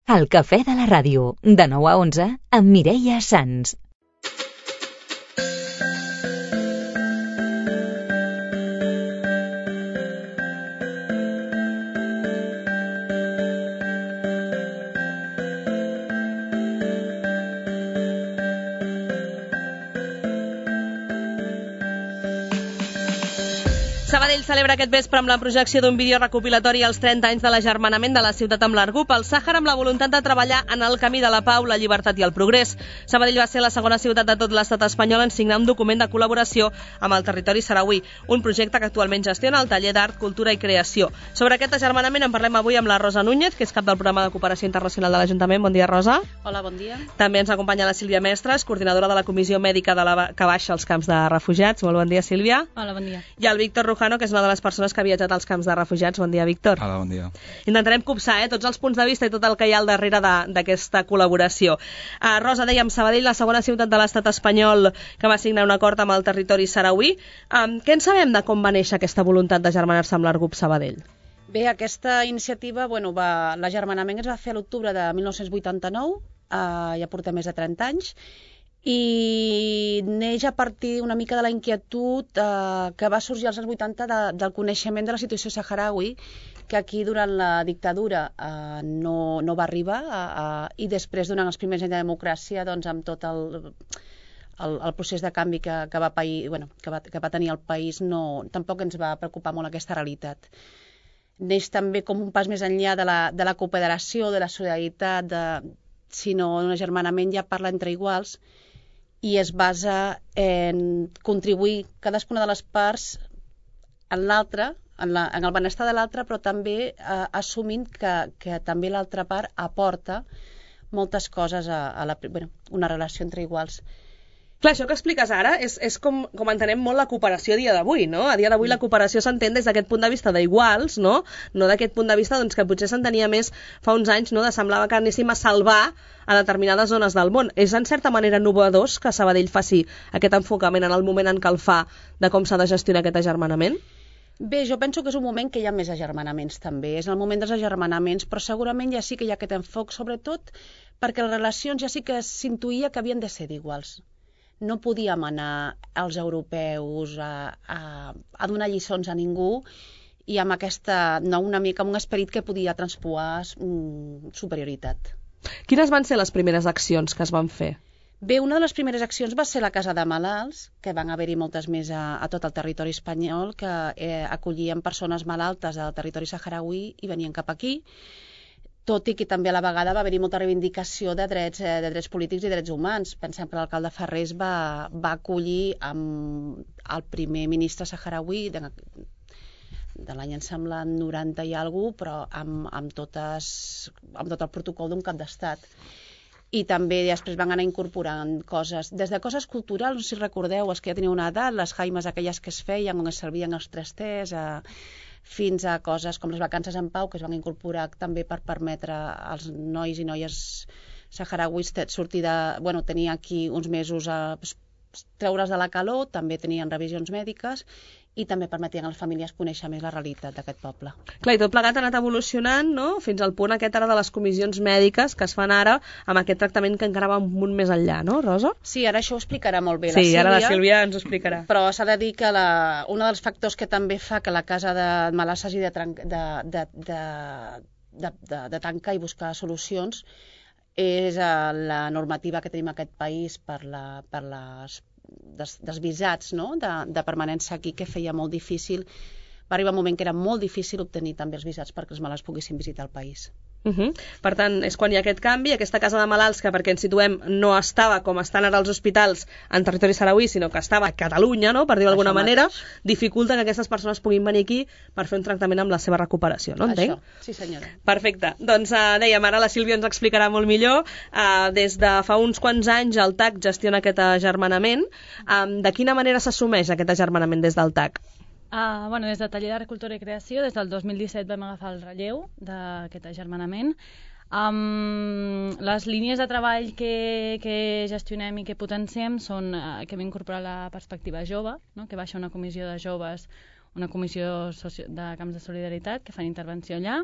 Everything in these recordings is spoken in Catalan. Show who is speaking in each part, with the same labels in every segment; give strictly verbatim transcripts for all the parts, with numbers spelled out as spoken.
Speaker 1: El cafè de la ràdio, de nou a onze, amb Mireia Sans.
Speaker 2: Sabadell celebra aquest vespre amb la projecció d'un vídeo recopilatori als trenta anys de l'agermanament de la ciutat amb l'Argup, el Sàhara, amb la voluntat de treballar en el camí de la pau, la llibertat i el progrés. Sabadell va ser la segona ciutat de tot l'estat espanyol en signar un document de col·laboració amb el territori sarauí, un projecte que actualment gestiona el taller d'Art, Cultura i Creació. Sobre aquest agermanament en parlem avui amb la Rosa Núñez, que és cap del programa de cooperació internacional de l'Ajuntament. Bon dia, Rosa.
Speaker 3: Hola, bon dia.
Speaker 2: També ens acompanya la Sílvia Mestres, coordinadora de la Comissió Mèdica de la que baixa als camps de refugiats. Molt bon dia, Sílvia.
Speaker 3: Hola, bon dia.
Speaker 2: I el Víctor Rujano, que és una de les persones que ha viatjat als camps de refugiats. Bon dia, Víctor.
Speaker 4: Hola, bon dia.
Speaker 2: Intentarem copsar eh, tots els punts de vista i tot el que hi ha al darrere d'aquesta col·laboració. Uh, Rosa, dèiem, Sabadell, la segona ciutat de l'estat espanyol que va signar un acord amb el territori sarauí. Um, què en sabem de com va néixer aquesta voluntat d'agermanar-se amb l'Argup Sabadell?
Speaker 3: Bé, aquesta iniciativa, bueno, va, l'agermanament es va fer a l'octubre de mil nou-cents vuitanta-nou, uh, ja portem més de trenta anys, i neix a partir una mica de la inquietud eh, que va sorgir als anys vuitanta de, del coneixement de la situació saharaui, que aquí durant la dictadura eh, no, no va arribar eh, i després, durant els primers anys de democràcia, doncs, amb tot el, el, el procés de canvi que, que, va pair, bueno, que, va, que va tenir el país, no, tampoc ens va preocupar molt aquesta realitat. Neix també com un pas més enllà de la, de la cooperació, de la solidaritat, de, sinó un agermanament ja parla entre iguals, i es basa en contribuir cadascuna de les parts en l'altra, en, la, en el benestar de l'altra, però també eh, assumint que, que també l'altra part aporta moltes coses a, a la, bueno, una relació entre iguals.
Speaker 2: Clar, això que expliques ara és, és com, com entenem molt la cooperació a dia d'avui, no? A dia d'avui la cooperació s'entén des d'aquest punt de vista d'iguals, no? No d'aquest punt de vista doncs, que potser s'entenia més fa uns anys, no? De semblava que anéssim a salvar a determinades zones del món. És en certa manera innovador que Sabadell faci aquest enfocament en el moment en què el fa de com s'ha de gestionar aquest agermanament?
Speaker 3: Bé, jo penso que és un moment que hi ha més agermanaments també, és el moment dels agermanaments, però segurament ja sí que hi ha aquest enfoc, sobretot perquè les relacions ja sí que s'intuïa que havien de ser d'iguals. No podíem anar als europeus a, a, a donar lliçons a ningú i amb aquesta, no, una mica amb un esperit que podia transpuar mm, superioritat.
Speaker 2: Quines van ser les primeres accions que es van fer?
Speaker 3: Bé, una de les primeres accions va ser la Casa de Malalts, que van haver-hi moltes més a, a tot el territori espanyol, que eh, acollien persones malaltes del territori saharaui i venien cap aquí, tot i que també a la vegada va haver-hi molta reivindicació de drets, eh, de drets polítics i drets humans. Pensem que l'alcalde Ferrés va, va acollir amb el primer ministre saharaui de, de l'any, em sembla, noranta i alguna cosa, però amb, amb, totes, amb tot el protocol d'un cap d'estat. I també després van anar incorporant coses, des de coses culturals, no sé si recordeu, els que ja teniu una edat, les jaimes aquelles que es feien, on es servien els trasters, a, fins a coses com les vacances en pau, que es van incorporar també per permetre als nois i noies saharauis sortir de, bueno, tenir aquí uns mesos a treure's de la calor, també tenien revisions mèdiques i també permetien a les famílies conèixer més la realitat d'aquest poble.
Speaker 2: Clar, i tot plegat ha anat evolucionant, no?, fins al punt aquest ara de les comissions mèdiques que es fan ara amb aquest tractament que encara va un munt més enllà, no, Rosa?
Speaker 3: Sí, ara això ho explicarà molt bé la
Speaker 2: sí,
Speaker 3: Sílvia. Sí,
Speaker 2: ara la Sílvia ens ho explicarà.
Speaker 3: Però s'ha de dir que la, un dels factors que també fa que la Casa de Malalts hagi de, de, de, de, de, de, de tancar i buscar solucions és la normativa que tenim en aquest país per, la, per les Des, dels visats, no? de, de permanència aquí, que feia molt difícil. Va arribar un moment que era molt difícil obtenir també els visats perquè els malalts poguessin visitar el país.
Speaker 2: Uh -huh. Per tant, és quan hi ha aquest canvi, aquesta casa de malalts que, perquè ens situem, no estava com estan ara els hospitals en territori sarauí, sinó que estava a Catalunya, no?, per dir-ho d'alguna manera, dificulta que aquestes persones puguin venir aquí per fer un tractament amb la seva recuperació, no entenc?
Speaker 3: Això, sí senyora.
Speaker 2: Perfecte. Doncs uh, dèiem, ara la Sílvia ens explicarà molt millor. Uh, des de fa uns quants anys el T A C gestiona aquest agermanament. Um, de quina manera s'assumeix aquest agermanament des del T A C?
Speaker 5: Uh, bueno, des de Taller d'Art, Cultura i Creació, des del dos mil disset vam agafar el relleu d'aquest agermanament. Um, les línies de treball que, que gestionem i que potenciem són uh, que hem incorporat la perspectiva jove, no? Que baixa una comissió de joves, una comissió socio de camps de solidaritat que fan intervenció allà.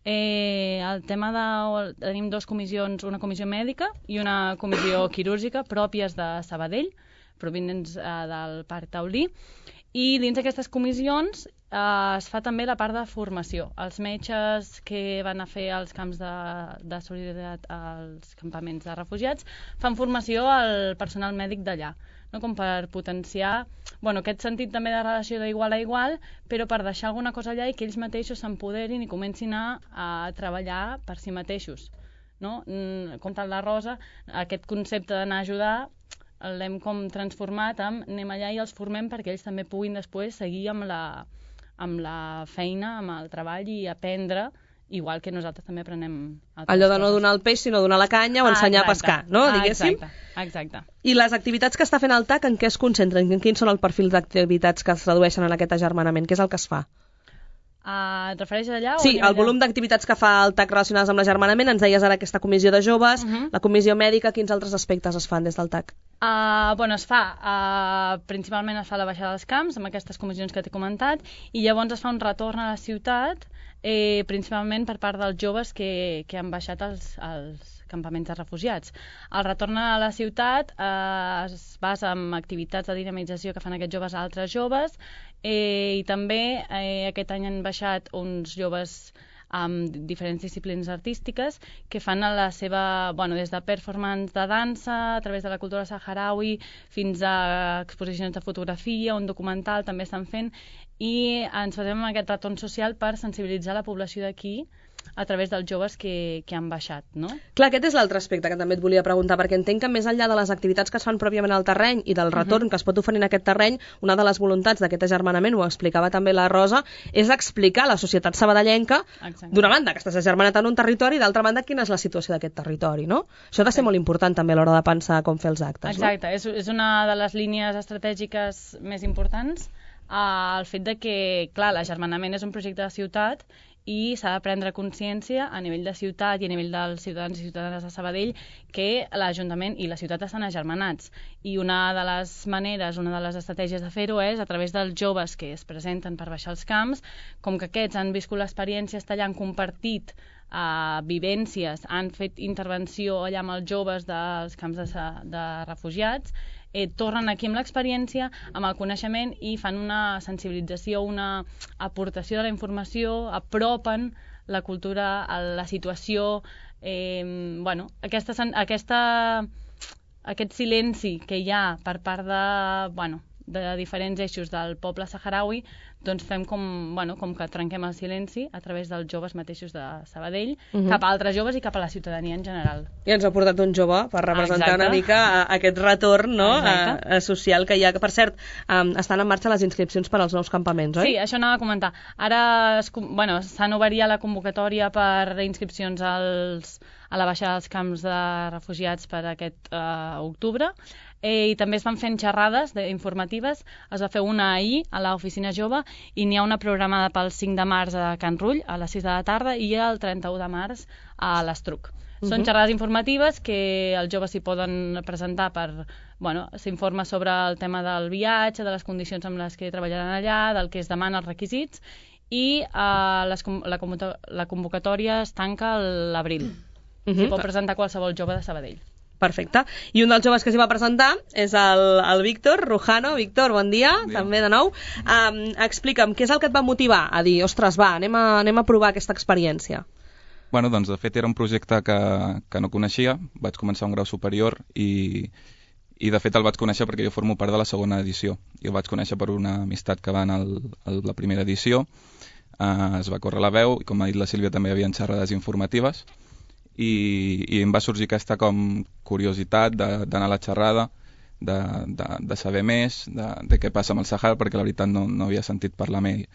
Speaker 5: Eh, el tema de... Tenim dues comissions, una comissió mèdica i una comissió quirúrgica pròpies de Sabadell, provinents eh, del Parc Taulí, i dins d'aquestes comissions eh, es fa també la part de formació. Els metges que van a fer els camps de, de solidaritat als campaments de refugiats fan formació al personal mèdic d'allà, no? Com per potenciar bueno, aquest sentit també de relació d'igual a igual, però per deixar alguna cosa allà i que ells mateixos s'empoderin i comencin a, a treballar per si mateixos. No? Com tal la Rosa, aquest concepte d'anar a ajudar l'hem com transformat amb anem allà i els formem perquè ells també puguin després seguir amb la, amb la feina, amb el treball i aprendre, igual que nosaltres també aprenem altres
Speaker 2: Allò de no
Speaker 5: coses.
Speaker 2: donar el peix, sinó donar la canya o
Speaker 5: Ah,
Speaker 2: ensenyar
Speaker 5: exacte.
Speaker 2: a pescar, no?
Speaker 5: Ah,
Speaker 2: Diguéssim.
Speaker 5: exacte, exacte.
Speaker 2: I les activitats que està fent el T A C, en què es concentren? Quins són el perfil d'activitats que es tradueixen en aquest agermanament? Què és el que es fa?
Speaker 5: Uh, et refereixes allà?
Speaker 2: Sí,
Speaker 5: o anem
Speaker 2: el
Speaker 5: allà?
Speaker 2: volum d'activitats que fa el T A C relacionades amb l'agermanament, ens deies ara aquesta comissió de joves,
Speaker 5: Uh -huh.
Speaker 2: la comissió mèdica, quins altres aspectes es fan des del T A C?
Speaker 5: Uh, bueno, es fa, uh, principalment es fa la baixada dels camps, amb aquestes comissions que t'he comentat, i llavors es fa un retorn a la ciutat, eh, principalment per part dels joves que, que han baixat als, als campaments de refugiats. El retorn a la ciutat eh, es basa en activitats de dinamització que fan aquests joves a altres joves, eh, i també eh, aquest any han baixat uns joves amb diferents disciplines artístiques que fan a la seva, bueno, des de performance de dansa, a través de la cultura saharaui, fins a exposicions de fotografia, un documental també estan fent, i ens basem en aquest retorn social per sensibilitzar la població d'aquí a través dels joves que, que han baixat, no?
Speaker 2: Clar, aquest és l'altre aspecte que també et volia preguntar, perquè entenc que més enllà de les activitats que es fan pròpiament al terreny i del retorn uh -huh. que es pot oferir en aquest terreny, una de les voluntats d'aquest agermanament, ho explicava també la Rosa, és explicar a la societat sabadellenca, d'una banda, que estàs agermanat en un territori, i d'altra banda, quina és la situació d'aquest territori, no? Això ha de ser molt important també a l'hora de pensar com fer els actes,
Speaker 5: Exacte,
Speaker 2: no?
Speaker 5: és, és una de les línies estratègiques més importants, eh, el fet de que, clar, l'agermanament és un projecte de ciutat i s'ha de prendre consciència a nivell de ciutat i a nivell dels ciutadans i ciutadanes de Sabadell que l'Ajuntament i la ciutat estan agermanats. I una de les maneres, una de les estratègies de fer-ho és a través dels joves que es presenten per baixar els camps, com que aquests han viscut l'experiència allà, han compartit uh, vivències, han fet intervenció allà amb els joves dels camps de, de refugiats, Eh, tornen aquí amb l'experiència, amb el coneixement i fan una sensibilització, una aportació de la informació, apropen la cultura a la situació, eh, bueno, aquesta, aquesta, aquest silenci que hi ha per part de, bueno, de diferents eixos del poble saharaui, doncs fem com, bueno, com que trenquem el silenci a través dels joves mateixos de Sabadell, uh -huh. cap a altres joves i cap a la ciutadania en general.
Speaker 2: I ens ha portat un jove per representar
Speaker 5: Exacte.
Speaker 2: una mica aquest retorn, no?
Speaker 5: A,
Speaker 2: a, social que hi ha. Per cert, um, estan en marxa les inscripcions per als nous campaments, oi?
Speaker 5: Sí, això anava a comentar. Ara es, bueno, s'han obert ja la convocatòria per inscripcions als, a la baixada dels camps de refugiats per aquest uh, octubre. Eh, i també es van fent xerrades informatives, es va fer una ahir a l'oficina jove i n'hi ha una programada pel cinc de març a Can Rull a les sis de la tarda i el trenta-u de març a l'Estruc. Uh -huh. Són xerrades informatives que els joves s'hi poden presentar per, bueno, s'informa sobre el tema del viatge, de les condicions amb les que treballaran allà, del que es demana, els requisits, i eh, les, la, la convocatòria es tanca a l'abril. Uh -huh. S'hi pot presentar qualsevol jove de Sabadell.
Speaker 2: Perfecte. I un dels joves que s'hi va presentar és el, el Víctor Rujano. Víctor, bon dia, bon dia. També de nou. Um, explica'm, què és el que et va motivar a dir, ostres, va, anem a, anem a provar aquesta experiència?
Speaker 4: Bueno, doncs, de fet, era un projecte que, que no coneixia. Vaig començar un grau superior i, i, de fet, el vaig conèixer perquè jo formo part de la segona edició. I el vaig conèixer per una amistat que va anar a la primera edició. Uh, es va córrer la veu i, com ha dit la Sílvia, també hi havia xerrades informatives. I, i em va sorgir aquesta com curiositat d'anar a la xerrada, de, de, de saber més de, de què passa amb el Sàhara, perquè la veritat no, no havia sentit parlar mai,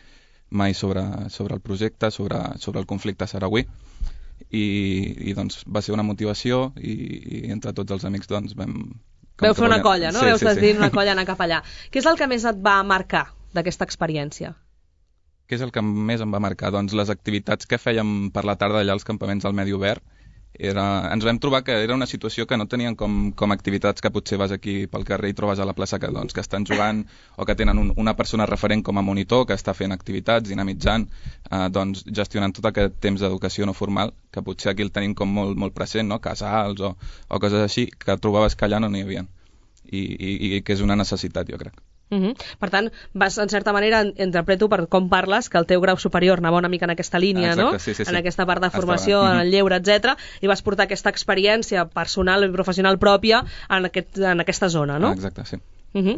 Speaker 4: mai sobre, sobre el projecte, sobre, sobre el conflicte sarauí, i, i doncs va ser una motivació i, i entre tots els amics doncs vam...
Speaker 2: Veu fer una colla, no?
Speaker 4: Sí,
Speaker 2: Veu
Speaker 4: sí,
Speaker 2: dir
Speaker 4: sí.
Speaker 2: una colla anar cap allà. Què és el que més et va marcar d'aquesta experiència?
Speaker 4: Què és el que més em va marcar? Doncs les activitats que fèiem per la tarda allà als campaments del Medi Obert era, ens vam trobar que era una situació que no tenien com, com activitats que potser vas aquí pel carrer i trobes a la plaça que, doncs, que estan jugant o que tenen un, una persona referent com a monitor que està fent activitats, dinamitzant, eh, doncs, gestionant tot aquest temps d'educació no formal, que potser aquí el tenim com molt, molt present, no? Casals o, o coses així, que trobaves que allà no n'hi havia. I, i, i que és una necessitat, jo crec.
Speaker 2: Uh -huh. Per tant, vas, en certa manera, interpreto per com parles, que el teu grau superior anava una mica en aquesta línia,
Speaker 4: Exacte,
Speaker 2: no?
Speaker 4: Sí, sí, sí.
Speaker 2: En aquesta part de formació,
Speaker 4: Estava.
Speaker 2: en el lleure, etcètera, i vas portar aquesta experiència personal i professional pròpia en, aquest, en aquesta zona, no?
Speaker 4: Ah, exacte, sí.
Speaker 2: Uh -huh.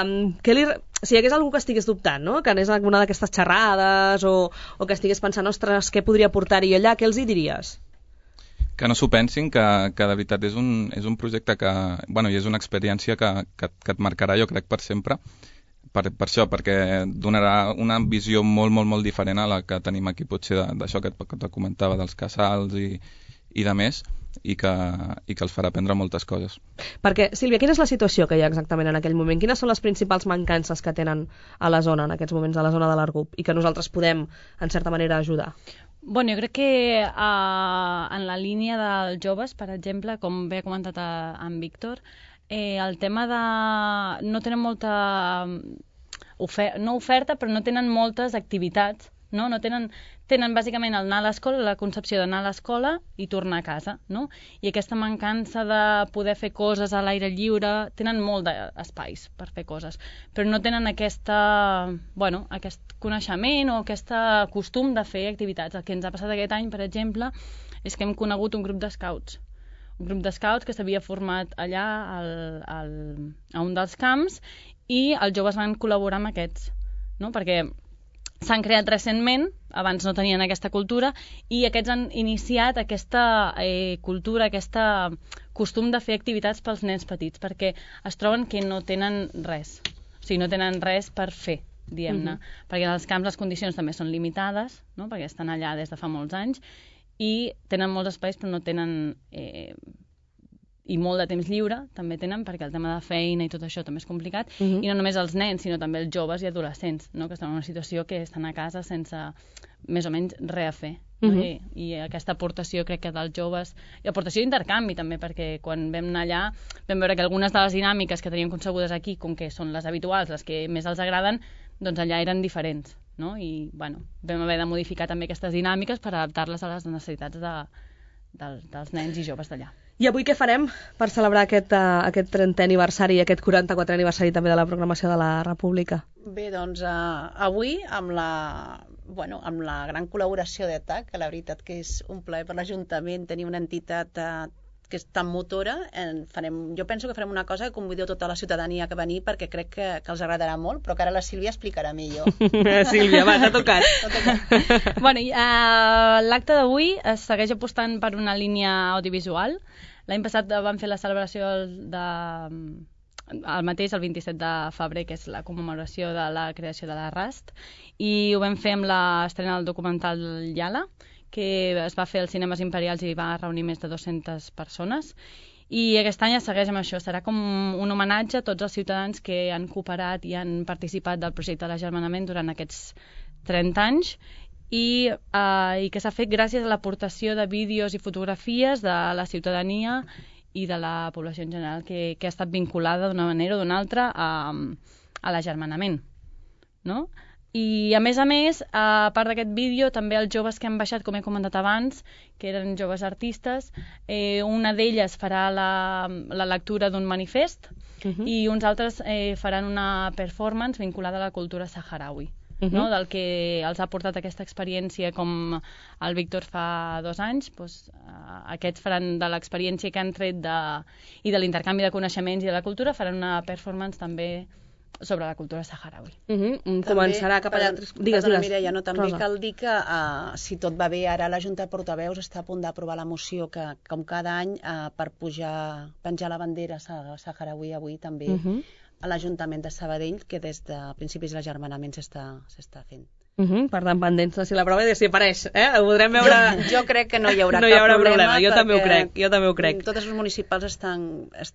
Speaker 2: um, que li, si hi hagués algú que estigués dubtant, no? Que anés a alguna d'aquestes xerrades o, o que estigués pensant, ostres, què podria portar-hi allà, què els hi diries?
Speaker 4: Que no s'ho pensin, que, que de veritat és un, és un projecte que, bueno, i és una experiència que, que, que et marcarà, jo crec, per sempre, per, per això, perquè donarà una visió molt, molt, molt diferent a la que tenim aquí, potser d'això que, que te comentava, dels casals i, i de més, i que, i que els farà aprendre moltes coses.
Speaker 2: Perquè, Sílvia, quina és la situació que hi ha exactament en aquell moment? Quines són les principals mancances que tenen a la zona, en aquests moments, a la zona de l'Argup, i que nosaltres podem, en certa manera, ajudar?
Speaker 5: Bueno, jo crec que uh, en la línia dels joves, per exemple, com bé ha comentat a, en Víctor, eh, el tema de... no tenen molta ofer no oferta, però no tenen moltes activitats, no? No tenen, tenen bàsicament el anar a l'escola, la concepció d'anar a l'escola i tornar a casa, no? I aquesta mancança de poder fer coses a l'aire lliure, tenen molt d'espais per fer coses, però no tenen aquesta, bueno, aquest coneixement o aquest costum de fer activitats. El que ens ha passat aquest any, per exemple, és que hem conegut un grup d'escouts, un grup d'escouts que s'havia format allà al, al, a un dels camps, i els joves van col·laborar amb aquests, no? Perquè s'han creat recentment, abans no tenien aquesta cultura, i aquests han iniciat aquesta eh, cultura, aquest costum de fer activitats pels nens petits, perquè es troben que no tenen res, o sigui, no tenen res per fer, diguem-ne, uh-huh. perquè en els camps les condicions també són limitades, no? Perquè estan allà des de fa molts anys, i tenen molts espais però no tenen... Eh, i molt de temps lliure també tenen, perquè el tema de feina i tot això també és complicat, uh-huh. i no només els nens, sinó també els joves i adolescents, no? Que estan en una situació que estan a casa sense més o menys res a fer. No? Uh-huh. I, I aquesta aportació, crec que dels joves, i aportació d'intercanvi també, perquè quan vam anar allà vam veure que algunes de les dinàmiques que teníem concebudes aquí, com que són les habituals, les que més els agraden, doncs allà eren diferents, no? I bueno, vam haver de modificar també aquestes dinàmiques per adaptar-les a les necessitats de, de, dels nens i joves d'allà.
Speaker 2: I avui què farem per celebrar aquest, uh, aquest trentè aniversari i aquest quaranta-quatrè aniversari també de la proclamació de la República?
Speaker 3: Bé, doncs uh, avui amb la, bueno, amb la gran col·laboració d'E T A C, que la veritat que és un plaer per l'Ajuntament tenir una entitat uh, que és tan motora, en farem, jo penso que farem una cosa que convido tota la ciutadania a venir perquè crec que, que els agradarà molt, però que ara la Sílvia explicarà millor.
Speaker 2: Sílvia, va, t'ha tocat.
Speaker 5: Bueno, uh, l'acte d'avui es segueix apostant per una línia audiovisual. L'any passat vam fer la celebració de, el mateix, el vint-i-set de febrer, que és la commemoració de la creació de la Rast, i ho vam fer amb l'estrena del documental Yala, que es va fer als Cinemes Imperials i va reunir més de dues-centes persones. I aquest any es segueix amb això. Serà com un homenatge a tots els ciutadans que han cooperat i han participat del projecte de l'agermanament durant aquests trenta anys, i, eh, i que s'ha fet gràcies a l'aportació de vídeos i fotografies de la ciutadania i de la població en general que, que ha estat vinculada d'una manera o d'una altra a, a l'agermanament, no? I a més a més, a part d'aquest vídeo, també els joves que han baixat, com he comentat abans, que eren joves artistes, eh, una d'elles farà la, la lectura d'un manifest, uh-huh. i uns altres eh, faran una performance vinculada a la cultura saharaui. Uh-huh. No? Del que els ha portat aquesta experiència, com el Víctor fa dos anys, doncs, uh, aquests faran de l'experiència que han tret de, i de l'intercanvi de coneixements i de la cultura, faran una performance també sobre la cultura saharaui.
Speaker 2: Uh-huh. Començarà cap allà...
Speaker 3: Digues, digues. Mireia, no, també Rosa. Cal dir que, uh, si tot va bé, ara la Junta de Portaveus està a punt d'aprovar la moció que, com cada any, uh, per pujar, penjar la bandera saharaui avui també, uh-huh. a l'Ajuntament de Sabadell, que des de principis de l'agermanament s'està s'està fent.
Speaker 2: Uh -huh, per tant, pendents de si la prova si apareix, eh? Ho podrem veure...
Speaker 3: Jo, jo crec que no hi haurà,
Speaker 2: no hi haurà
Speaker 3: cap problema,
Speaker 2: problema. Jo també ho crec, jo també ho crec.
Speaker 3: Tots els municipals estan, est,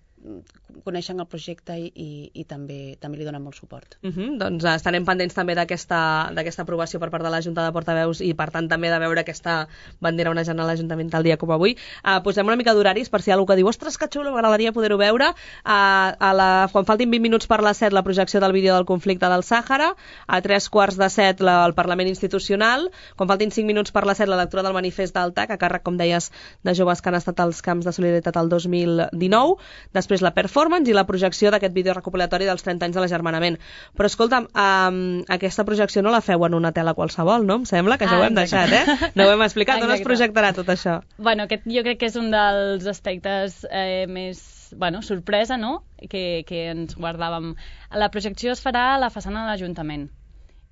Speaker 3: coneixen el projecte i, i, i també també li donen molt suport.
Speaker 2: Uh -huh, doncs estarem pendents també d'aquesta d'aquesta aprovació per part de la Junta de Portaveus i per tant també de veure aquesta bandera onejant a l'Ajuntament tal dia com avui. Uh, posem una mica d'horaris per si hi ha algú que diu ostres, que xulo, m'agradaria poder-ho veure. Uh, a la, quan faltin vint minuts per les set la projecció del vídeo del conflicte del Sàhara, a tres quarts de set la, el Parlament Institucional, quan faltin cinc minuts per les set la lectura del manifest d'Altac, a càrrec, com deies, de joves que han estat als camps de solidaritat el dos mil dinou, després la performance i la projecció d'aquest vídeo recopilatori dels trenta anys de l'Agermanament. Però escolta'm, um, aquesta projecció no la feu en una tela qualsevol, no? Em sembla que això
Speaker 5: ah,
Speaker 2: ho hem deixat, eh? No ho hem explicat, on es projectarà tot això?
Speaker 5: Bueno, aquest jo crec que és un dels aspectes eh, més, bueno, sorpresa, no?, que, que ens guardàvem. La projecció es farà a la façana de l'Ajuntament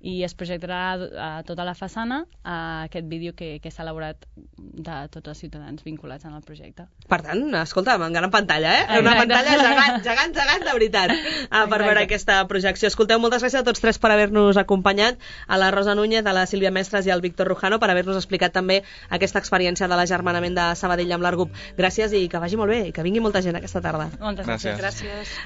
Speaker 5: i es projectarà a tota la façana a aquest vídeo que, que s'ha elaborat de tots els ciutadans vinculats en el projecte.
Speaker 2: Per tant, escolta, en gran pantalla, eh? Exacte. Una pantalla gegant, gegant, gegant, de veritat, uh, per veure aquesta projecció. Escolteu, moltes gràcies a tots tres per haver-nos acompanyat, a la Rosa Núñez, a la Sílvia Mestres i al Víctor Rujano, per haver-nos explicat també aquesta experiència de l'Agermanament de Sabadell amb l'Argup. Gràcies i que vagi molt bé i que vingui molta gent aquesta tarda.
Speaker 5: Moltes
Speaker 4: gràcies.
Speaker 5: gràcies. gràcies.